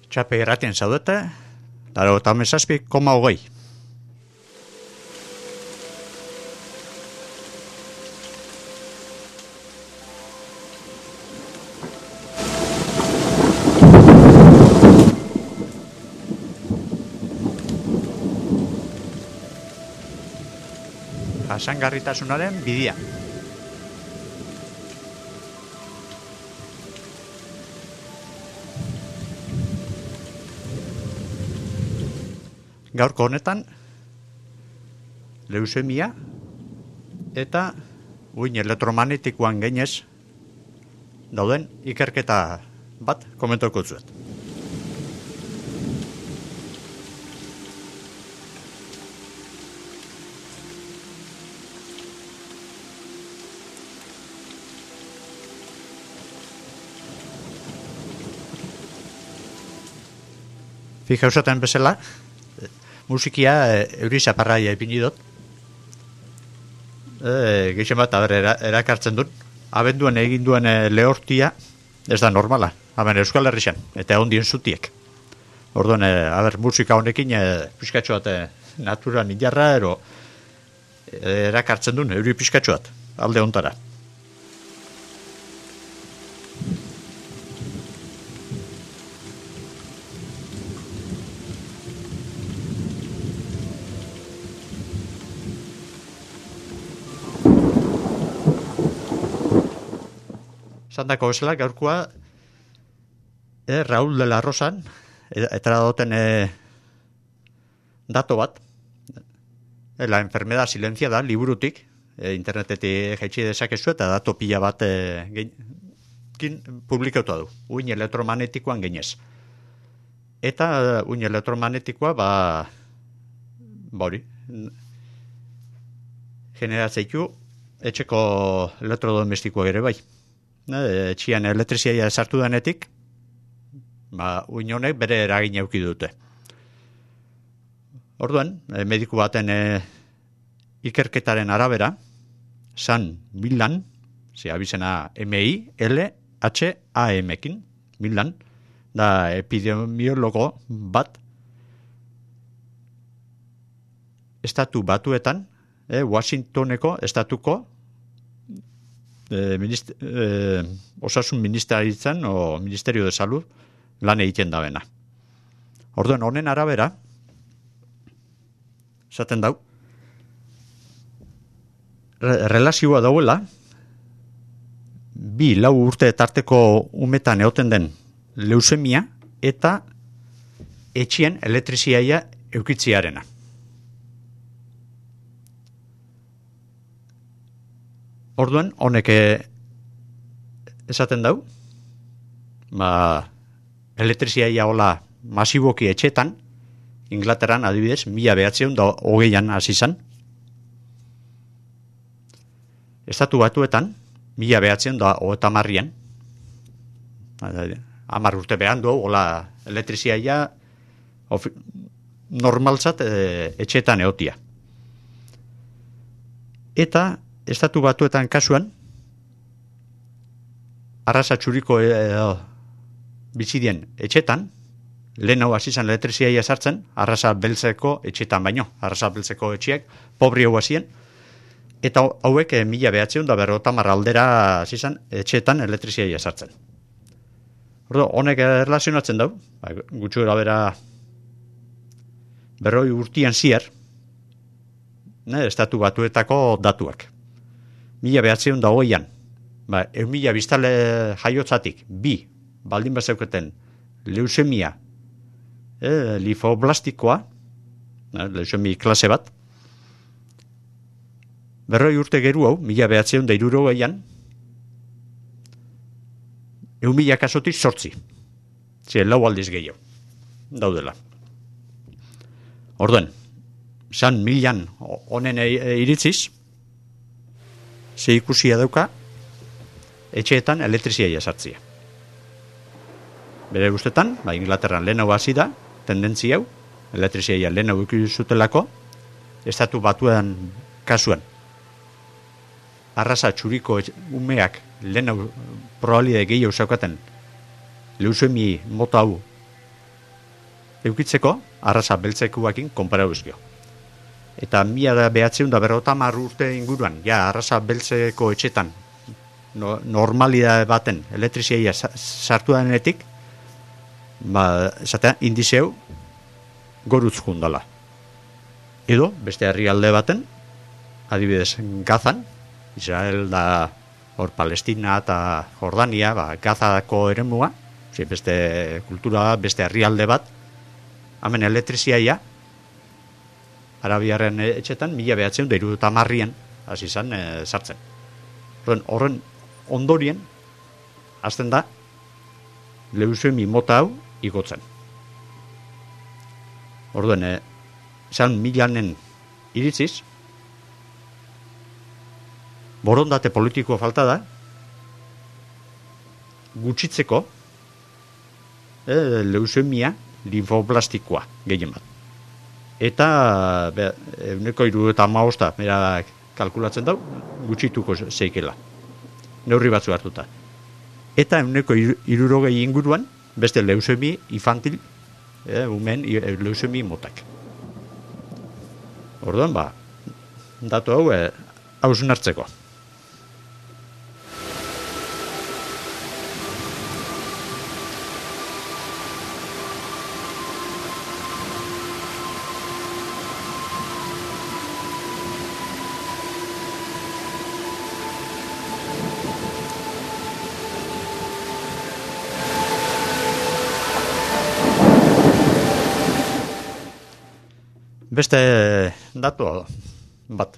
Txape irratien zaudete, 97,8. Jasangarritasunaren bidea. Gaurko honetan, leusemia eta uin elektromagnetikoan gainez dauden ikerketa bat komentoko zuet. Fikausaten bezala, musikia eurizaparraia ipini dut. Geixen bat, erakartzen dut. Abenduan egin duen lehortia, ez da normala. Hemen Euskal Herrixan, eta ondien zutiek. Orduan, musika honekin, pizkatxo bat naturan ilarra, erakartzen duen, euri pizkatxo bat, alde ontara. Zandako bezala, gaurkoa Raúl de la Rosan eta dauten dato bat, la enfermedad silenciada liburutik, internetetik jaitsi dezakezu eta dato pila bat publikautua du, uin elektromagnetikoan gainez. Eta uin elektromagnetikoa hori generatzeiku etxeko elektrodomestikoak ere bai. Etxian elektrizia sartu denetik, uin honek bere eragin eduki dute. Orduan, mediku baten ikerketaren arabera, San Millan, abizena MILHAM-ekin, Millan, da epidemiologo bat, estatu batuetan, Washingtoneko estatuko osasun ministeritzan o Ministerio de Salud lan egiten da bena. Orduan, honen arabera, esaten dau, relazioa dauela, 2-4 urte tarteko umetan egoten den leusemia eta etxien elektriziaia eukitziarena. Orduan, honek esaten dau, elektriziaia hola masiboki etxetan, Inglaterran adibidez, 1920an hasi zan. Estatu batuetan, 1930an, 10 urte behan du, hola elektriziaia normaltzat etxetan egotia. Eta Estatu batuetan kasuan, arrasa txuriko bizidien etxetan, lehen hau azizan elektriziaia sartzen, arrasa beltzeko etxetan baino, arrasa beltzeko etxiek, pobri hau azien, eta hauek 1950 aldera azizan etxetan elektriziaia sartzen. Honek erlazionatzen dau, gutxu erabera 40 urtian zier, Estatu batuetako datuak. 1920an, 1000 biztale jaiotzatik, 2 baldin bazeuketen leusemia linfoblastikoa, leusemi klase bat, 40 urte geru hau, 1960an, 1000 kasotik 8. Lau aldiz gehiago, daudela. Orduan, San Millan honen iritziz, ze ikusia dauka etxeetan elektriziaia sartzia. Bere guztetan, Inglaterran lehen hau hasi da, tendentzia hau, elektriziaia lehen hau ikusutelako, estatu batuen kasuan. Arrasa txuriko umeak lehen hau probabilitate gehiago zaukaten leusemi mota hau eukitzeko arrasa beltzekuakin konparauzkio. Eta 1950 urte inguruan, arrasa beltzeko etxetan normalidade baten elektriziaia sartu denetik, esatea, indizeu gorutz jundala. Edo, beste herrialde baten, adibidez, Gazan, Israel da hor Palestina eta Jordania, Gazako eremua, beste kultura, beste herrialde bat, hemen elektriziaia, Arabiaren etxetan, 1970an hasi izan sartzen. Horren ondorien, hasten da, leuzemi mota hau igotzen. Orduen, esan milanen iritziz, borondate politiko falta da, gutxitzeko leuzemia linfoblastikoa gehien bat. Eta 75 bera kalkulatzen dau, gutxituko zeikela. Neurri batzu hartuta. Eta 60 inguruan, beste leuzemi infantil, umen leuzemi motak. Orduan, datu hau, hausun hartzeko. Beste datu bat.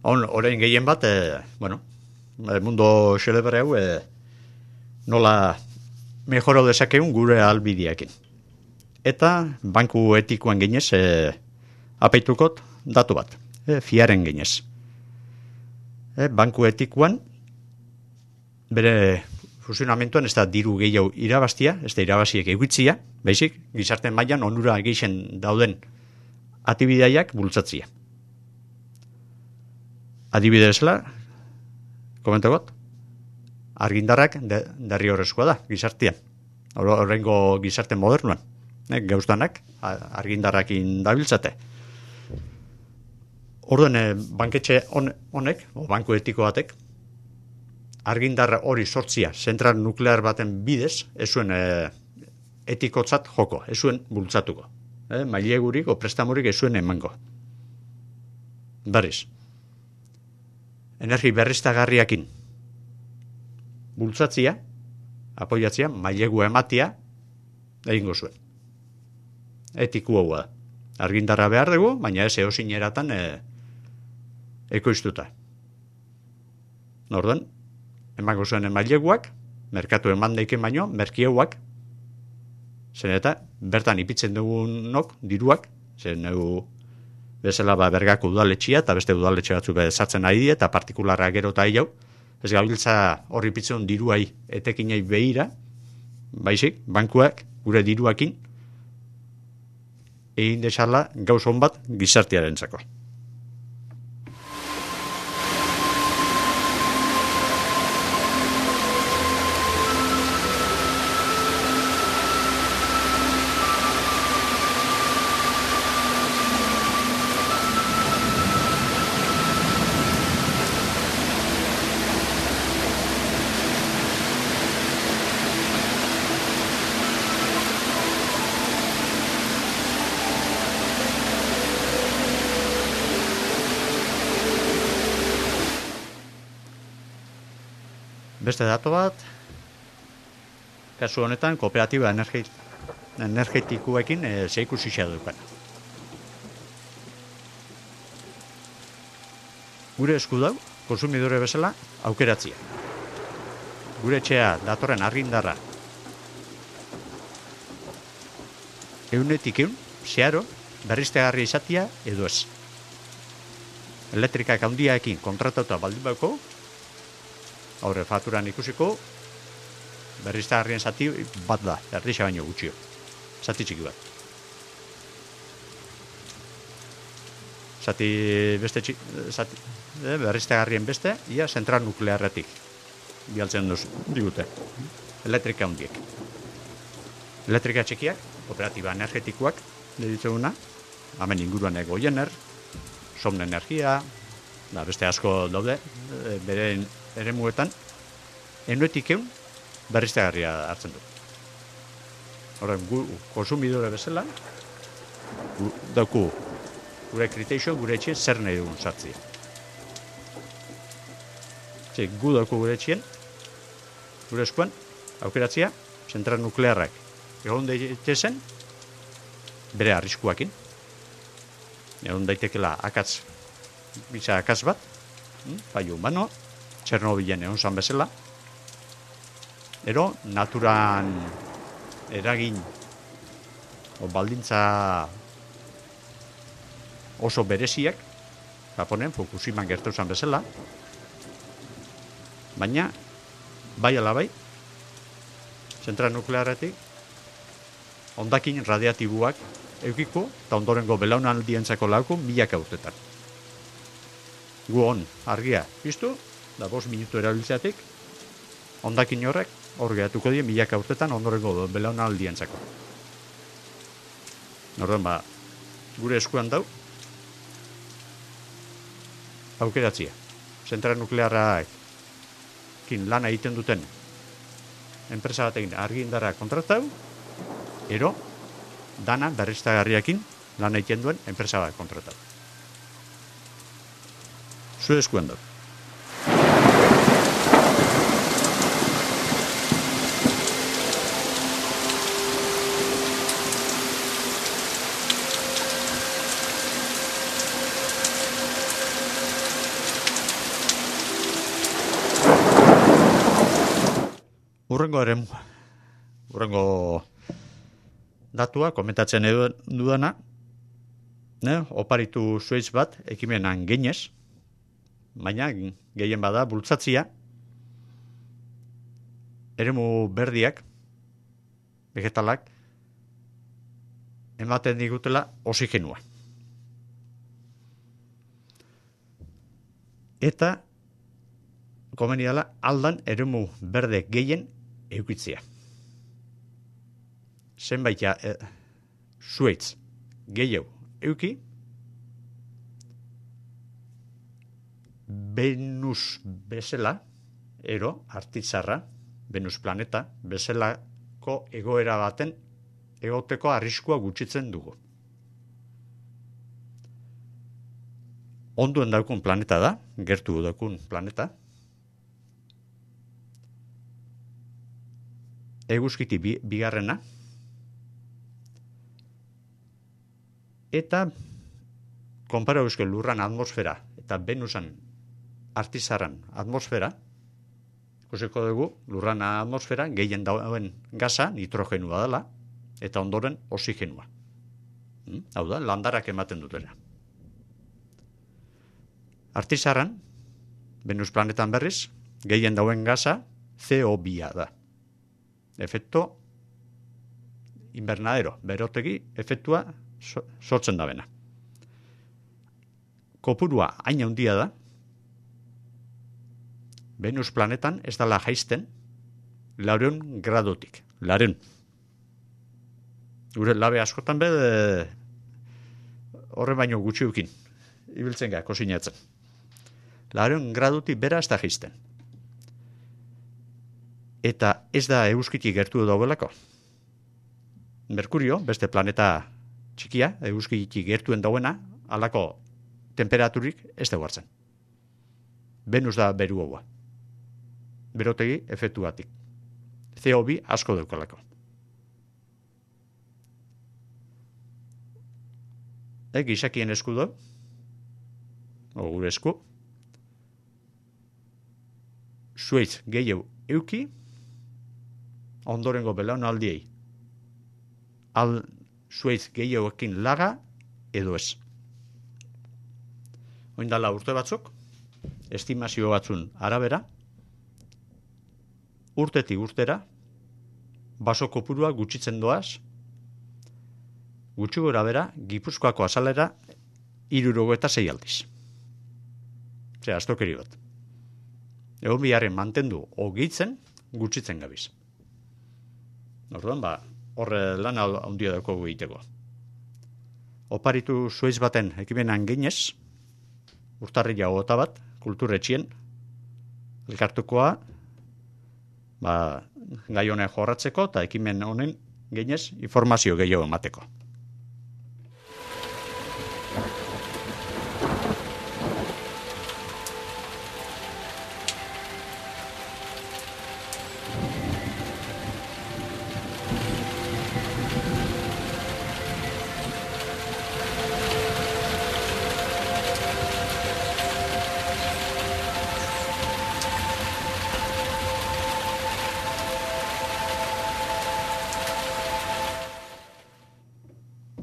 Orain gehien bat, mundo xelebre hau nola mejorau dezakeun gure albideekin. Eta banku etikoan ginez apaitukot datu bat, fiaren ginez. Banku etikoan bere funtzionamentuan ez da diru gehiago irabaztia, ez da irabaziek egitzia, baizik, gizarte mailan onura geixen dauden atibidaiak bultzatzia. Adibidezela, komentogot, argindarrak derri horrezkoa da, gizartean. Horrengo gizarte modernuan. Gauztanak, argindarrakin dabiltzate. Orduen, banketxe honek, o banku etiko batek, argindarra hori sortzia, zentral nuklear baten bidez, ez zuen etikotzat joko, ez zuen bultzatuko. Mailegurik o prestamurik ez zuen emango. Berriz. Energi berriztagarriakin bultzatzia, apoiatzia, mailegua ematia, egingo zuen. Etiku hau da. Argindarra behar dugu, baina ez eozin eratan ekoiztuta. Orduan, emango zuen maileguak, merkatu eman daiken baino, merkieuak, zen eta bertan ipitzen dugunok diruak, zen bezala bergako udaletxia eta beste udaletxe batzu bezatzen ari eta partikularra gero eta hau, ez gabiltza horri ipitzen diruai etekinei behira, baizik, bankuak gure diruakin egin desala gauz hon bat gizartearentzako. Beste dato bat, kasu honetan, kooperatiba energetikoekin zeikusia dukan. Gure esku dau, konsumidore bezala, aukeratzia. Gure etxea datorren argindarra. Eunetik zeharo, berriztegarri izatia edo ez. Elektrikak handiaekin kontratatuta baldin bauko, aurre faturan ikusiko, berriztagarrien zati bat da, erdixa baino gutxio. Zati txiki bat. Zati beste berriztagarrien beste, ia zentral nuklearretik. Bialtzen digute. Elektrika handiek. Elektrika txikiak, kooperatiba energetikoak, deritzeguna, hemen inguruan Goiener, Somn Energia, beste asko daude, bere eremuetan, enuetik egun berriztagarria hartzen du. Horren, konsumidore bezala, dauku gure kriteixo, gure etxien zer nahi dugun sartzia. Gu dauku gure etxien, gure eskuan, aukeratzia, zentral nuklearrak egon daitezen, bere arriskuakin. Egon daitekela bitza akatz bat, fallo humano, Txernobilen egon zan bezala, ero naturan eragin baldintza oso bereziak, Japonen, Fukushiman gertu zan bezala, baina, bai alabai, zentral nuklearetik, hondakin radiatiboak eukiko, eta ondorengo belaunaldientzako lauko milaka urtetan. Gu hon, argia piztu, da 5 minutu erabiltzeatik, hondakin horrek, hor gehatuko die milaka urtetan ondorengo belaunaldientzako. Orduan, gure eskuan dau, aukeratzia. Zentral nuklearrak lana egiten duten enpresa batekin argi indarra kontratau, ero dana berriztagarriakin lan egiten duen enpresa bat kontratau. Zure eskuan dau. Urrengo datua, komentatzen dudana, oparitu zuetz bat, ekimenan geinez, baina gehien bada bultzatzia, eremu berdiak, vegetalak, ematen digutela oxigenua. Eta, komeni dela, aldan eremu berde gehien eukitzia. Zenbait zuetz gehiago euki, Venus bezala, ero, artitzarra, Venus planeta, bezalako egoera baten egoteko arriskua gutxitzen dugu. Onduen daukun planeta da, gertu daukun planeta, eguzkiti bigarrena, eta konpara euskal lurran atmosfera eta Venusan artizarran atmosfera, ikusiko dugu lurran atmosfera gehien dauen gaza nitrogenua dela, eta ondoren oxigenua. Hau da, landarak ematen dutela. Artizarran, Venus planetan berriz, gehien dauen gaza CO2 da. Efekto invernadero, berotegi efektua sortzen da bena. Kopurua hain handia da, Venus planetan ez dala jaisten 400 gradotik. 400. Gure labe askotan horren baino gutxiukin ibiltzen ga, kosinatzen. 400 gradotik bera ez da jaisten. Eta ez da eguzkitik gertu daudelako. Merkurio, beste planeta txikia, eguzkitik gertuen dauena, halako temperaturik ez da hartzen. Venus da beru haua. Berotegi efektuatik. CO2 asko daukalako. Gizakien esku do, gure esku, zuetz gehiago euki, ondorengo belaunaldiei zuetz gehiagoekin laga edo ez. Oindala urte batzuk, estimazio batzun arabera, urtetik urtera, baso kopurua gutxitzen doaz, gutxi gora bera, Gipuzkoako azalera 76 aldiz. Zera, astokeri bat. Egon biharren mantendu ogitzen, gutxitzen gabiz. Orduan, horre lan handia daukagu egiteko. Oparitu zueiz baten ekimenan ginez, urtarrila 21 kulturetxien, elkartukoa, gai honen jorratzeko eta ekimen honen ginez informazio gehiago emateko.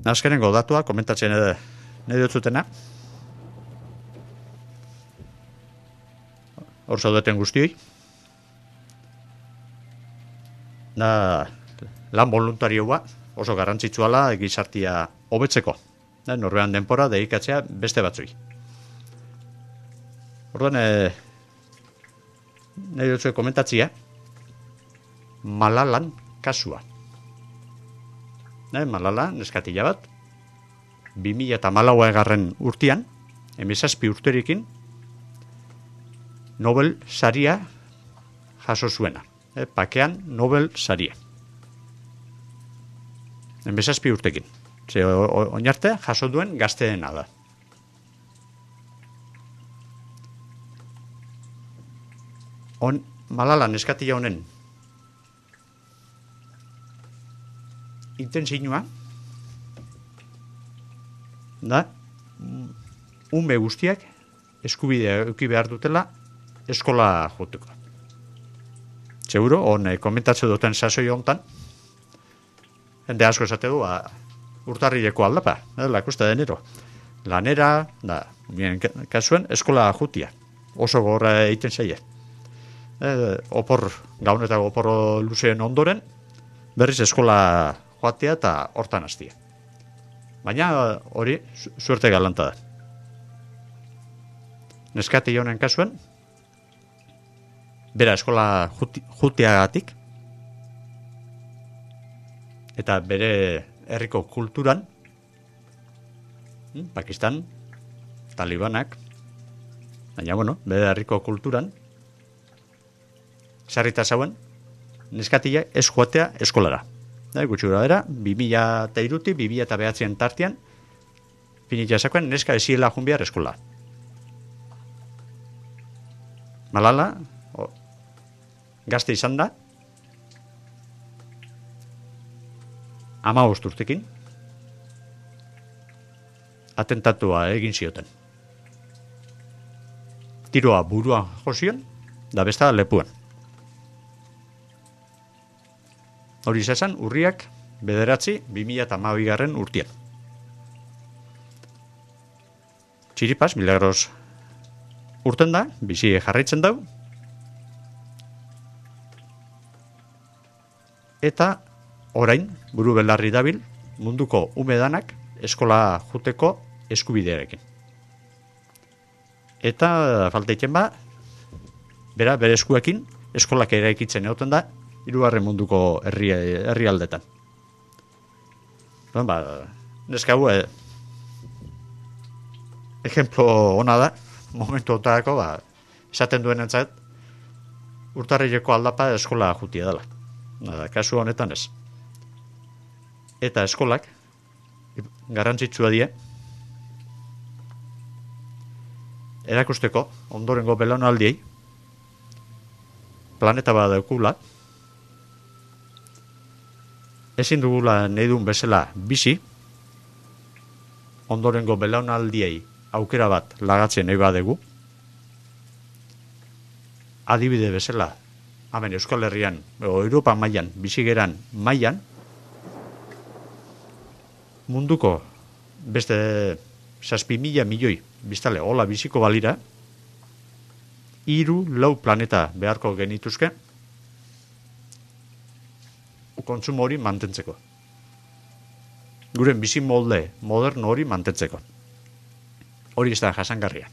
Azkenengo datua, komentatzen nahi dutzutena. Hor zaudeten guztioi. Lan voluntarioa oso garrantzitsuala gizartia hobetzeko. Norbean denpora dedikatzea beste batzui. Orduan, nahi dutzu komentatzia, Malalan kasua. Malala, neskatila bat, 2014 urtean, 17 urterekin, Nobel saria jaso zuena. Pakean Nobel saria. 17 urtekin. Oinarte jaso duen gazteena da. Malala neskatila honen intensinua da ume guztiak eskubidea eduki behar dutela eskola joteko. Seguro, komentatzen duten sasoi hontan, jende asko esate du, urtarrileko aldapa, la costa de enero. Lanera, kasuen, eskola jutia. Oso gorra egiten zaie. Gaunetako opor luzeen ondoren, berriz eskola joatea eta hortan hastia. Baina hori suerte galanta da. Neskati honen kasuen, bera eskola juteagatik eta bere herriko kulturan, Pakistan, Talibanak, baina bere herriko kulturan, sarrita zauen, neskatila ez joatea eskolara. Gutxura bera, 2003, 2009 tartean, finitza zakoen neska eziela junbiar eskola. Malala, gazte izan da, 15 urtekin, atentatua egin zioten. Tiroa buruan jozion, da besta lepuan. Hori izan, urriak 2012 urtean. Txiripaz, milagros urten da, bizi jarraitzen dau, eta orain, buru belarri dabil, munduko umedanak eskola juteko eskubidearekin. Eta falteiken bere eskuekin, eskolak eraikitzen egoten da, 3. munduko herrialdetan. Neska hau, ejemplo ona da, momentu otarako, esaten duen entzat, urtarrileko aldapa eskola jutia dela. Kasu honetan ez. Eta eskolak, garrantzitsua die, erakusteko, ondorengo belaunaldiei, planeta bat daukula, ezin dugula nahi duen bezala bizi, ondorengo belaunaldiei aukera bat lagatzen nahi badegu, adibide bezala, hemen Euskal Herrian, Europa mailan, bizigeran mailan, munduko beste 7.000 milioi biztale hola biziko balira, 3-4 planeta beharko genituzke, kontsumo hori mantentzeko. Guren bizi molde moderno hori mantentzeko. Hori ez da jasangarria.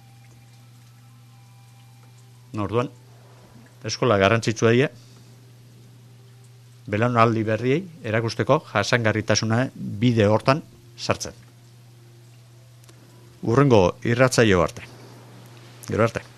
Orduan, eskola garrantzitsua die, belaunaldi berriei erakusteko jasangarritasuna bide hortan sartzen. Urrengo irratsaio arte. Gero arte.